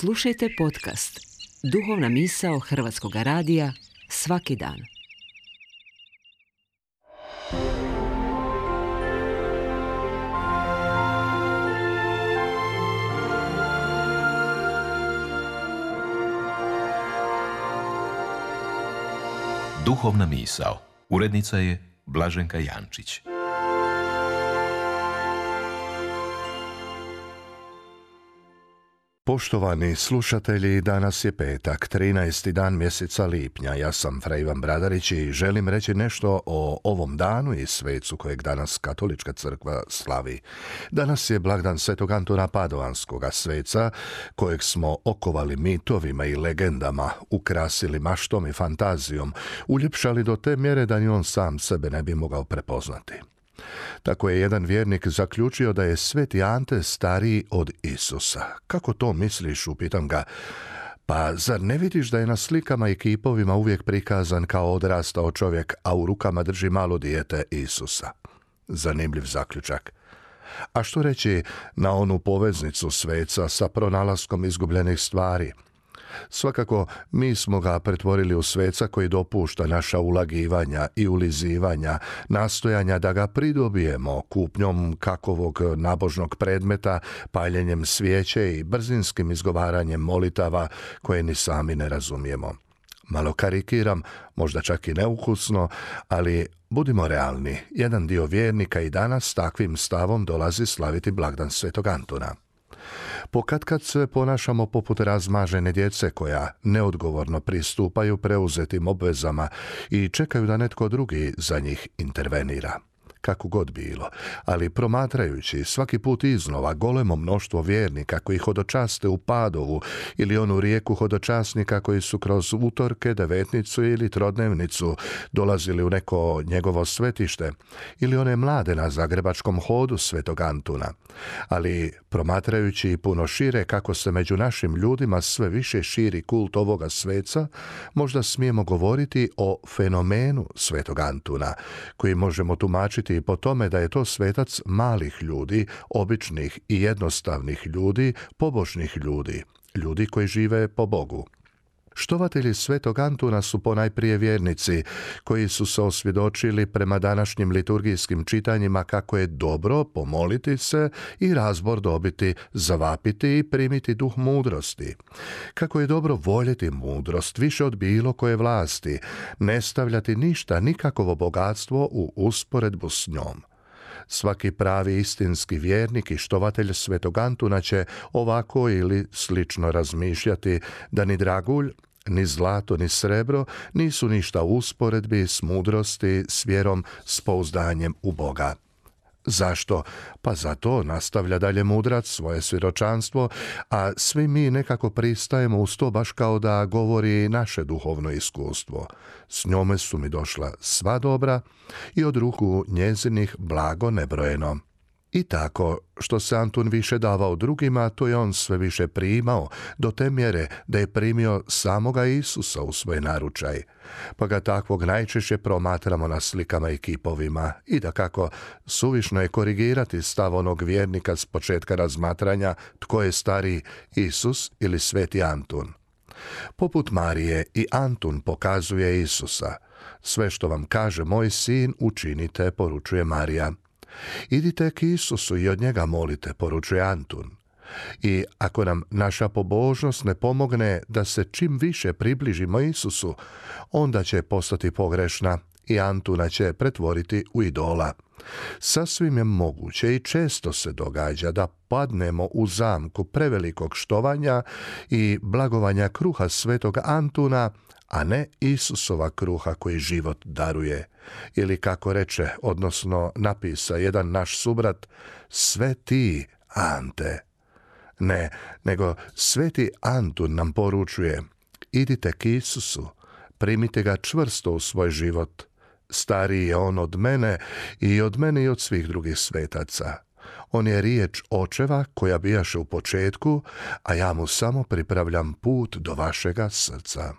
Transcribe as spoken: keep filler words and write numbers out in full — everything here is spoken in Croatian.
Slušajte podcast Duhovna misao Hrvatskog radija svaki dan. Duhovna misao. Urednica je Blaženka Jančić. Poštovani slušatelji, danas je petak, trinaesti dan mjeseca lipnja. Ja sam Fra Ivan Bradarić i želim reći nešto o ovom danu i svecu kojeg danas Katolička crkva slavi. Danas je blagdan Svetog Antuna Padovanskoga, sveca kojeg smo okovali mitovima i legendama, ukrasili maštom i fantazijom, uljepšali do te mjere da ni on sam sebe ne bi mogao prepoznati. Tako je jedan vjernik zaključio da je Sveti Ante stariji od Isusa. Kako to misliš, upitam ga. Pa zar ne vidiš da je na slikama i kipovima uvijek prikazan kao odrastao čovjek, a u rukama drži malo dijete Isusa? Zanimljiv zaključak. A što reći na onu poveznicu sveca sa pronalaskom izgubljenih stvari? Svakako, mi smo ga pretvorili u sveca koji dopušta naša ulagivanja i ulizivanja, nastojanja da ga pridobijemo kupnjom kakovog nabožnog predmeta, paljenjem svijeće i brzinskim izgovaranjem molitava koje ni sami ne razumijemo. Malo karikiram, možda čak i neukusno, ali budimo realni, jedan dio vjernika i danas s takvim stavom dolazi slaviti blagdan Svetog Antuna. Pokatkad se ponašamo poput razmažene djece koja neodgovorno pristupaju preuzetim obvezama i čekaju da netko drugi za njih intervenira. Kako god bilo, ali promatrajući svaki put iznova golemo mnoštvo vjernika koji hodočaste u Padovu ili onu rijeku hodočasnika koji su kroz utorke, devetnicu ili trodnevnicu dolazili u neko njegovo svetište, ili one mlade na zagrebačkom hodu Svetog Antuna, ali promatrajući puno šire kako se među našim ljudima sve više širi kult ovoga sveca, možda smijemo govoriti o fenomenu Svetog Antuna, koji možemo tumačiti i po tome da je to svetac malih ljudi, običnih i jednostavnih ljudi, pobožnih ljudi, ljudi koji žive po Bogu. Štovatelji Svetog Antuna su ponajprije vjernici koji su se osvjedočili prema današnjim liturgijskim čitanjima kako je dobro pomoliti se i razbor dobiti, zavapiti i primiti duh mudrosti. Kako je dobro voljeti mudrost više od bilo koje vlasti, ne stavljati ništa, nikakovo bogatstvo u usporedbu s njom. Svaki pravi istinski vjernik i štovatelj Svetog Antuna će ovako ili slično razmišljati da ni dragulj, ni zlato, ni srebro nisu ništa u usporedbi s mudrosti, s vjerom, s pouzdanjem u Boga. Zašto? Pa zato nastavlja dalje mudrac svoje svjedočanstvo, a svi mi nekako pristajemo uz to baš kao da govori naše duhovno iskustvo. S njome su mi došla sva dobra i od ruku njezinih blago nebrojeno. I tako, što se Antun više davao drugima, to je on sve više primao, do te mjere da je primio samoga Isusa u svoj naručaj. Pa ga takvog najčešće promatramo na slikama i kipovima i da kako suvišno je korigirati stav onog vjernika s početka razmatranja tko je stariji, Isus ili Sveti Antun. Poput Marije i Antun pokazuje Isusa. Sve što vam kaže moj sin učinite, poručuje Marija. Idite k Isusu i od njega molite, poručuje Antun. I ako nam naša pobožnost ne pomogne da se čim više približimo Isusu, onda će postati pogrešna i Antuna će pretvoriti u idola. Sasvim je moguće i često se događa da padnemo u zamku prevelikog štovanja i blagovanja kruha Svetog Antuna, a ne Isusova kruha koji život daruje. Ili kako reče, odnosno napisa jedan naš subrat, sve ti, Ante. Ne, nego Sveti Antun nam poručuje, idite k Isusu, primite ga čvrsto u svoj život. Stariji je on od mene i od mene i od svih drugih svetaca. On je riječ očeva koja bijaše u početku, a ja mu samo pripravljam put do vašega srca.